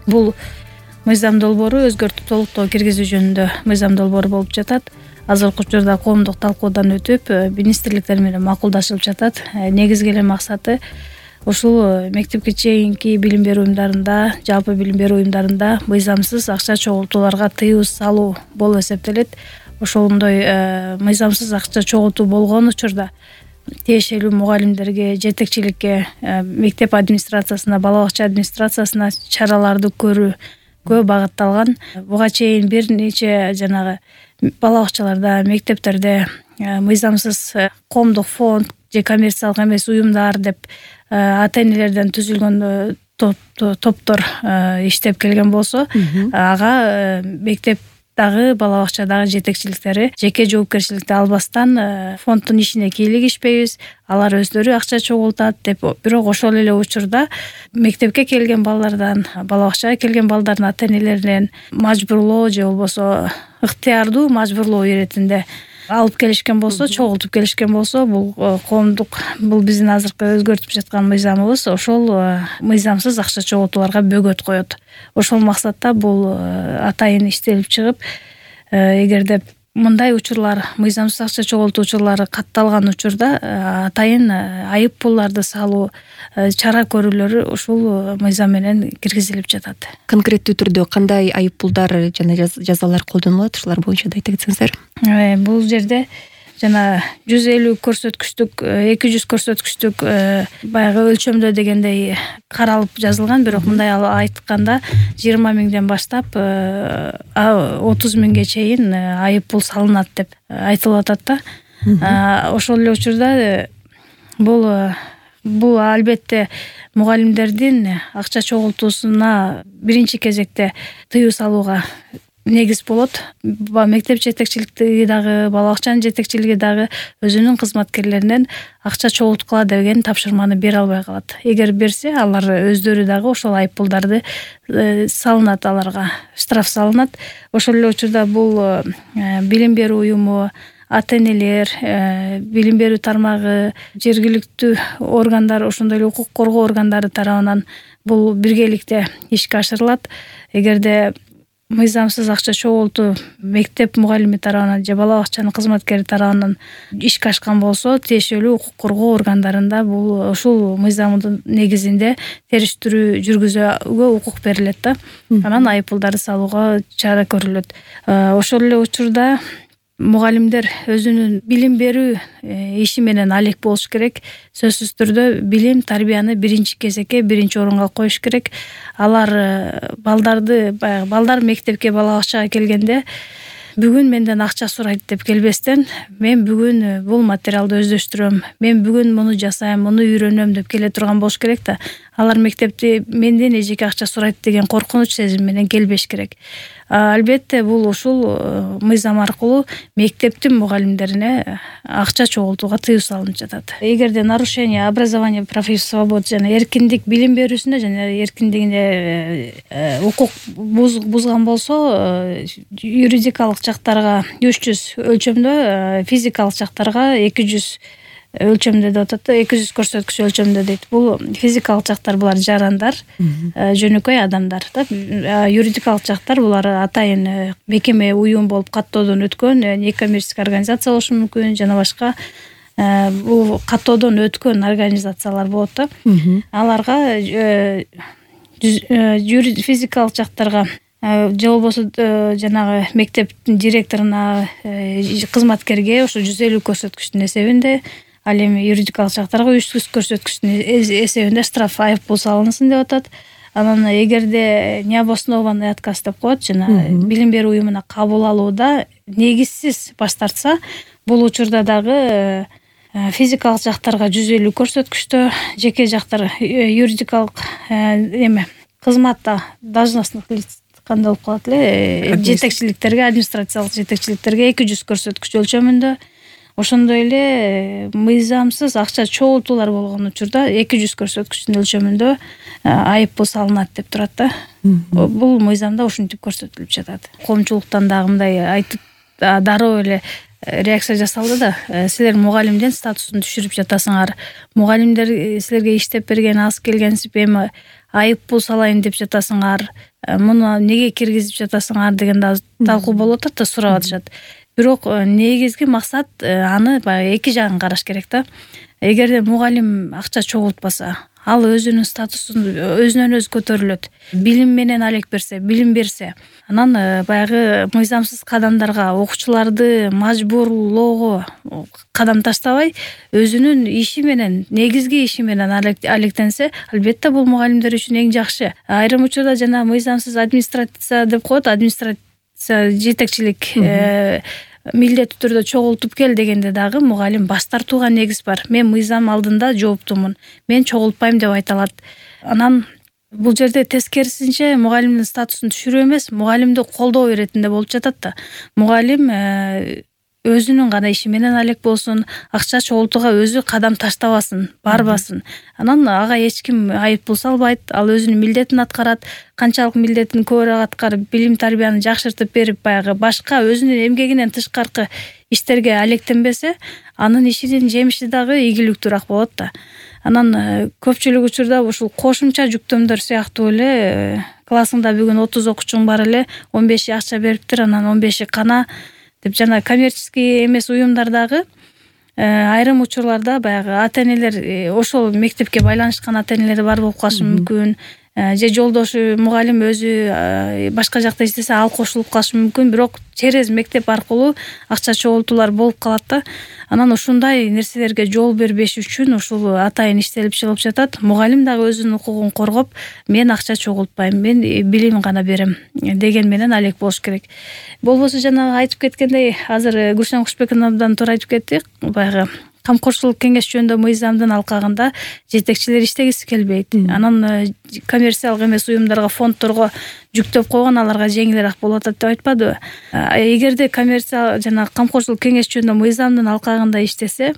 Бул мыйзам долбоору өзгөртүп толуктоо киргизүү жөнүндө мыйзам долбоору болуп жатат. Азыркы учурда коомдук талкуудан өтүп, министрликтер менен макулдашылып жатат. Негизги эле максаты ушул мектепке чейинки билим берүү уюмдарында, жалпы билим берүү уюмдарында мыйзамсыз акча чогултууларга тыюу салуу болуп эсептелет. Ошондой мыйзамсыз акча чогултуу болгон учурда тиешелүү мугалимдерге, жетекчиликке, мектеп администрациясына, бала бакча администрациясына чараларды көрүүгө багытталган. Буга чейин бир нече жанагы бала бакчаларда, мектептерде мыйзамсыз коомдук фонд же коммерциялык эмес уюмдар деп ата-энелерден түзүлгөн топтор иштеп келген болсо, ага мектеп дагы бала бакчадагы жетекчиликтери жеке жоопкерчиликти албастан фонддун ишине кийлигишпейбиз, алар өздөрү акча чогултат деп. Бирок ошол эле учурда мектепке келген балдардан, бала бакчага келген балдардын ата-энелеринен мажбурлоо же болбосо ыктыярдуу мажбурлоо иретинде алып келишкен болсо, чогултуп келишкен болсо, бул коомдук, бул биздин азыркы өзгөртүп жаткан мыйзамыбыз ошол мыйзамсыз акча чогултууларга бөгөт коет. Ошол максатта бул атайын иштелип чыгып, эгерде мындай учурлар, мыйзамсыз акча чогултуу учурлары катталган учурда атайын айып пулларды салуу, чара көрүүлөрү ушул мыйзам менен киргизилип жатат. Конкреттүү түрдө кандай айып пулдар жана жазалар колдонулат, ушулар боюнча да айта кетсеңиздер. Бул жерде жана 150 көрсөткүчтүк, 200 көрсөткүчтүк баягы өлчөмдө дегендей каралып жазылган, бирок мындай айтканда 20 миңден баштап 30 миңге чейин айып пул салынат деп айтылып атат да. Ошол эле учурда бул албетте мугалимдердин акча чогултуусуна биринчи кезекте тыюу салууга негиз болот. Мектеп жетекчилиги дагы, бала бакчанын жетекчилиги дагы өзүнүн кызматкерлеринен акча чогулткула деген тапшырманы бере албай калат. Эгер берсе, алар өздөрү дагы ошол айып пулдарды салынат, аларга штраф салынат. Ошол эле учурда бул билим берүү уюму, ата-энелер, билим берүү тармагы, жергиликтүү органдар, ошондой эле укук коргоо органдары тарабынан бул биргеликте ишке ашырылат. Эгерде мыйзамсыз акча чогултуу мектеп мугалими тарабынан же бала бакчанын кызматкери тарабынан ишке ашкан болсо, тиешелүү укук коргоо органдарында бул ушул мыйзамдын негизинде териштирүү жүргүзүүгө укук берилет да. Анан айып пулдарды салууга чара көрүлөт. Ошол эле учурда мугалимдер өзүнүн билим берүү иши менен алек болуш керек. Сөзсүз түрдө билим, тарбияны биринчи кезекке, биринчи орунга коюш керек. Алар балдар мектепке, бала бакчага келгенде бүгүн менден акча сурайт деп келбестен, мен бүгүн бул материалды өздөштүрөм, мен бүгүн муну жасайм, муну үйрөнөм деп келе турган болуш керек да. Алар мектепти менден эжеке акча сурайт деген коркунуч сезим менен келбеш керек. Албетте бул ушул мыйзам аркылуу мектептин мугалимдерине акча чогултууга тыюу салынып жатат. Эгерде нарушение образования прав и свобод жана эркиндик, билим берүүсүнө жана эркиндигине укук бузган болсо, юридикалык жактарга 300 өлчөмдө, физикалык жактарга 200 өлчөмдө деп атат, 200 көрсөткүч өлчөмдө дейт. Бул физикалык жактар, булар жарандар, жөнөкөй адамдар да. Юридикалык жактар булар атайын мекеме, уюм болуп каттоодон өткөн, некоммерческий организация болушу мүмкүн, жана башка бул каттоодон өткөн организациялар болот да. Аларга физикалык жактарга же болбосо жанагы мектептин директоруна, кызматкерге ошо 150 көрсөткүчтүн эсебинде, ал эми юридикалык жактарга 300 көрсөткүчтүн эсебинде штраф, айып пул салынсын деп атат. Анан эгерде необоснованный отказ деп коет, жана билим берүү уюмуна кабыл алууда негизсиз баш тартса, бул учурда дагы физикалык жактарга 150 көрсөткүчтө, жеке жактар юридикалык кызматта должностных лиц кандай болуп калат эле, жетекчиликтерге, администрациялык жетекчиликтерге 200 көрсөткүч өлчөмүндө. Ошондой эле мыйзамсыз акча чогултуулар болгон учурда 200 көрсөткүчтүн өлчөмүндө айып пул салынат деп турат да. Бул мыйзамда ушинтип көрсөтүлүп жатат. Коомчулуктан дагы мындай айтып дароо эле реакция жасалды да. Силер мугалимдин статусун түшүрүп жатасыңар. Мугалимдер силерге иштеп берген, аз келгенсип эми айып пул салайын деп жатасыңар. Муну неге киргизип жатасыңар деген да талкуу болуп атат да, сурап атышат. Бирок негизги максат аны баягы эки жагын караш керек да. Эгерде мугалим акча чогултпаса, ал өзүнүн статусун өзүнөн өзү көтөрүлөт. Билим менен алек берсе, билим берсе, анан баягы мыйзамсыз кадамдарга, окуучуларды мажбурлоого кадам таштабай, өзүнүн иши менен, негизги иши менен алектенсе, албетте бул мугалимдер үчүн эң жакшы. Айрым учурда жана мыйзамсыз администрация деп коет, администрация жетекчилик милдеттүү түрдө чогултуп кел дегенде дагы мугалим баш тартууга негиз бар. Мен мыйзам алдында жооптумун, мен чогултпайм деп айта алат. Анан бул жерде тескерисинче мугалимдин статусун түшүрүү эмес, мугалимди колдоо иретинде болуп жатат да. Мугалим өзүнүн гана иши менен алек болсун, акча чогултууга өзү кадам таштабасын, барбасын. Анан ага эч ким айып пул салбайт, ал өзүнүн милдетин аткарат. Канчалык милдетин көбүрөөк аткарып, билим тарбияны жакшыртып берип, баягы башка өзүнүн эмгегинен тышкаркы иштерге алектенбесе, анын ишинин жемиши дагы ийгиликтүүрөөк болот да. Анан көпчүлүк учурда ушул кошумча жүктөмдөр сыяктуу эле классыңда бүгүн 30 окуучуң бар эле, 15 акча бериптир, анан 15 кана деп жана коммерческий эмес уюмдардагы айрым учурларда баягы ата-энелер, ошол мектепке байланышкан ата-энелер бар болуп калышы мүмкүн. Же жолдошу мугалим өзү башка жакта иштесе, ал кошулуп калышы мүмкүн, бирок через мектеп аркылуу акча чогултуулар болуп калат да. Анан ушундай нерселерге жол бербеш үчүн ушул атайын иштелип чыгып жатат. Мугалим дагы өзүнүн укугун коргоп, мен акча чогултпайм, мен билим гана берем деген менен алек болуш керек. Болбосо жанагы айтып кеткендей, азыр Гүлшан Кушбековнадан туура айтып кетти, баягы камкорчулук кеңеш жөнүндө мыйзамдын алкагында жетекчилер иштегиси келбейт. Анан коммерциялык эмес уюмдарга, фонддорго жүктөп койгон, аларга жеңилирээк болуп атат деп айтпадыбы? Эгерде коммерция жана камкорчулук кеңеш жөнүндө мыйзамдын алкагында иштесе,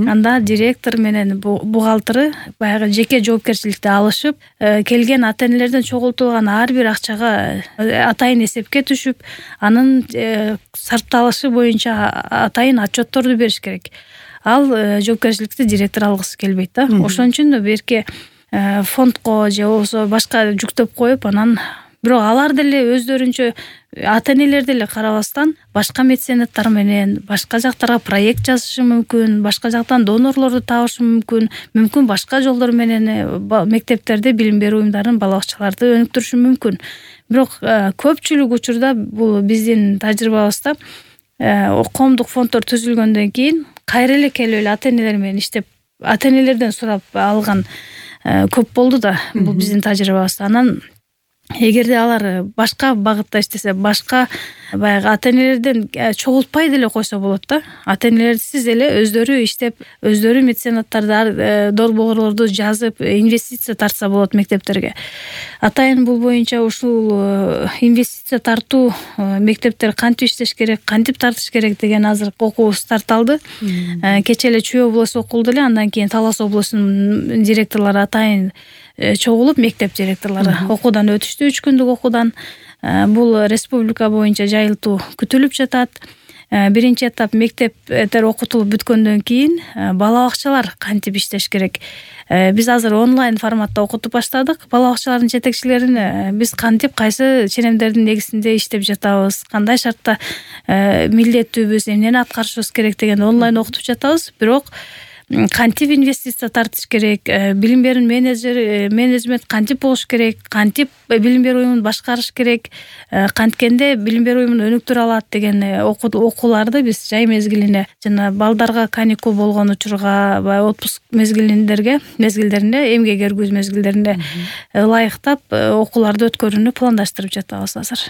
анда директор менен бухгалтери баягы жеке жоопкерчиликти алышып, келген ата-энелерден чогултулган ар бир акчага атайын эсепке түшүп, анын сарпталышы боюнча атайын отчетторду бериш керек. Ал жоопкерчиликти директор алгысы келбейт да. Ошон үчүн берке фондко же болбосо башка жүктөп коюп, анан бирок алар деле өздөрүнчө ата-энелер деле карабастан башка меценаттар менен башка жактарга проект жазышы мүмкүн, башка жактан донорлорду табышы мүмкүн башка жолдор менен мектептерде билим берүү уюмдарын, бала бакчаларды өнүктүрүшү мүмкүн. Бирок көпчүлүк учурда бул биздин тажрыйбабызда коомдук фонддор түзүлгөндөн кийин кайра эле келип эле ата-энелер менен иштеп, ата-энелерден сурап алган көп болду да, бул биздин тажрыйбабызда. Анан эгерде алар башка багытта иштесе, башка баягы ата-энелерден чогултпай деле койсо болот да. Ата-энелерсиз эле өздөрү иштеп, өздөрү меценаттарды, долбоорлорду жазып, инвестиция тартса болот мектептерге. Атайын бул боюнча ушул инвестиция тартуу, мектептер кантип иштеш керек, кантип тартыш керек деген азыр окуу старталды. Кечээ эле Чүй облусу окулду эле, андан кийин Талас облусунун директорлору атайын чогулуп, мектеп директорлору окуудан өтүштү, 3 күндүк окуудан. Бул республика боюнча жайылтуу күтүлүп жатат. Биринчи этап мектептер окутулуп бүткөндөн кийин бала бакчалар кантип иштеш керек. Биз азыр онлайн форматта окутуп баштадык. Бала бакчалардын жетекчилерин биз кантип, кайсы ченемдердин негизинде иштеп жатабыз, кандай шартта милдеттүүбүз, эмнени аткарышыбыз керек деген онлайн окутуп жатабыз. Бирок кантип инвестиция тартыш керек, билим берүү менеджмент кантип болуш керек, кантип билим берүү уюмун башкарыш керек, канткенде билим берүү уюмун өнүктүрө алат деген окууларды биз жай мезгилине жана балдарга каникул болгон учурга, баягы отпуск мезгилдеринде, эмгек эргүүз мезгилдеринде ылайыктап окууларды өткөрүүнү пландаштырып жатабыз азыр.